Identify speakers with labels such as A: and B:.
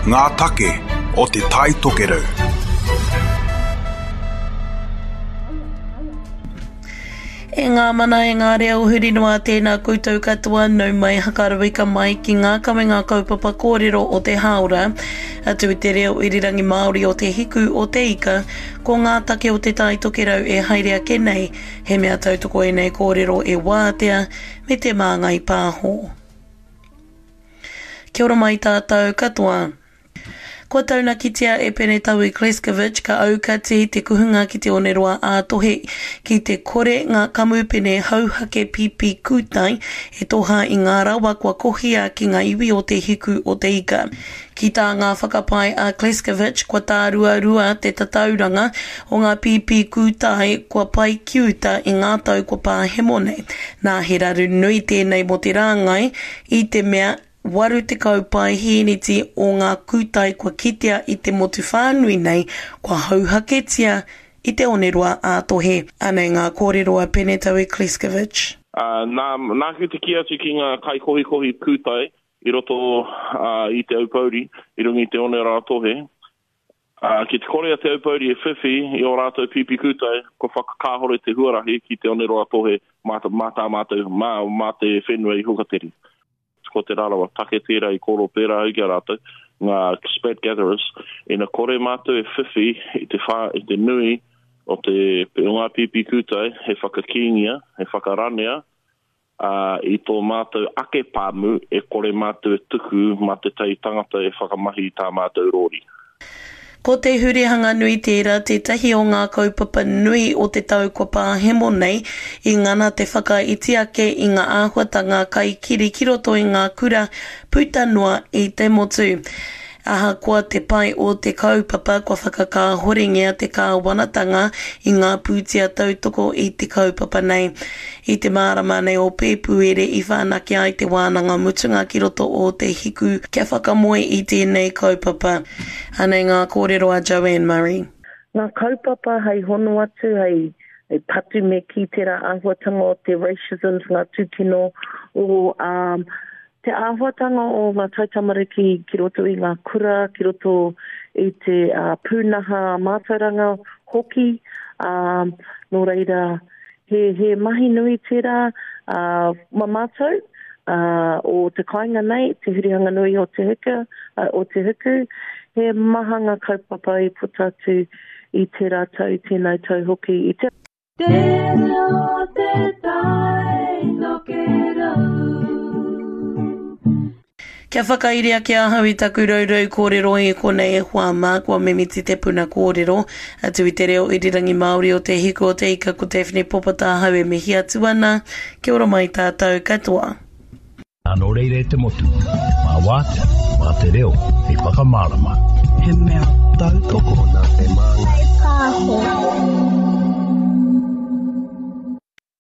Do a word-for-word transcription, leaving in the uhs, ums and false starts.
A: Ngā take o Te Tai Tokerau.
B: E ngā mana e ngā reo huri noa tēnā koutou katoa nau mai hakarawika mai ki ngā kawenga kaupapa kōrero o te hāora. Atu i te reo irirangi Māori o Te Hiku o Te Ika, ko ngā take o Te Tai Tokerau e haere ake nei, he mea tautoko ēnei kōrero e Wātea me Te Māngai Pāho. Kia ora mai tātou katoa. Kua taunakitia e Pene Taui Kleskovic ka aukati te kuhunga ki te oneroa ā-tohe ki te kore ngā kamupene hauhake pipi kūtai e toha i ngā rawa kua kohia ki ngā iwi o Te Hiku o Te Ika. Ki tā ngā whakapae a Kleskovic kua tāruarua te tatauranga o ngā pipi kūtai kua pae ki uta i ngā tau kua pāhemo nei. Nā he raru nui tēnei mō te rāngai i te mea waru tekau paehīniti o ngā kūtai kua kitea i te motu whānui nei kua hauhaketia i te oneroa ā-tohe. Anei ngā kōrero a Pene Taui Kleskovic.
C: Uh, nā, nāku te kī atu ki ngā kaikohikohi kūtai i roto uh, i Te Aupōuri, i runga i te oneroa ā-tohe, uh, ki te kore a Te Aupōuri e whiwhi i ō rātou pīpī kūtai, kua whakakāhore te huarahi ki te oneroa ā-tohe mā, mā tā mātou, mā, mā te whenua i Hukatere. Ko Te Rarawa take tērā i kōrero pērā au ki a rātou, ngā spat gatherers, ina kore mātou e whiwhi i te, whā, i te nui o, te, o ngā pīpī kūtai he whakakīngia, he whakaranea, uh, i tō mātou ake pāmu e kore mātou e tuku mā te tai tangata e whakamahi i tā mātou rōri.
B: Ko te hurihanga nui tērā tētahi o ngā kaupapa nui o te tau kua pāhemo nei i ngana te whakaiti ake i ngā āhuatanga kaikiri ki roto i ngā kura puta noa i te motu. Ahakoa te pai o te kaupapa kua whakakāhorengia te kāwanatanga i ngā pūtea tautoko i te kaupapa nei. I te marama nei o Pēpuere i whanake ai te wānanga mutunga ki roto o Te Hiku kia whakamoe i tēnei kaupapa. Anei ngā kōrero a Joanne Murray.
D: Ngā kaupapa hei hono atu, hei, hei patu me ki tērā āhuatanga o te racism, ngā tūkino o um, te āhuatanga o ngā taitamariki ki roto i ngā kura, ki roto i te uh, pūnaha mātauranga hoki. Um, nō reira, he, he mahi nui tērā uh, ma mātou uh, o te kāinga nei, te hurihanga nui o te huka, uh, o te huku. He maha ngā kaupapa i puta atu i tērā tau, tēnā tau hoki. I te
E: Te reo te tai tokerau.
B: Kia whakairi ake ahau i taku raurau kōrero i konei e hoa mā, kua mimiti te puna kōrero. Atu i te reo irirangi Māori o Te Hiku o Te Ika ko Daphne Popata ahau e mihi atu ana. Kia ora mai tātou katoa.
F: Nō reira e te motu, mā Wātea, mā te reo, hei whakamārama.
G: He mea tautoko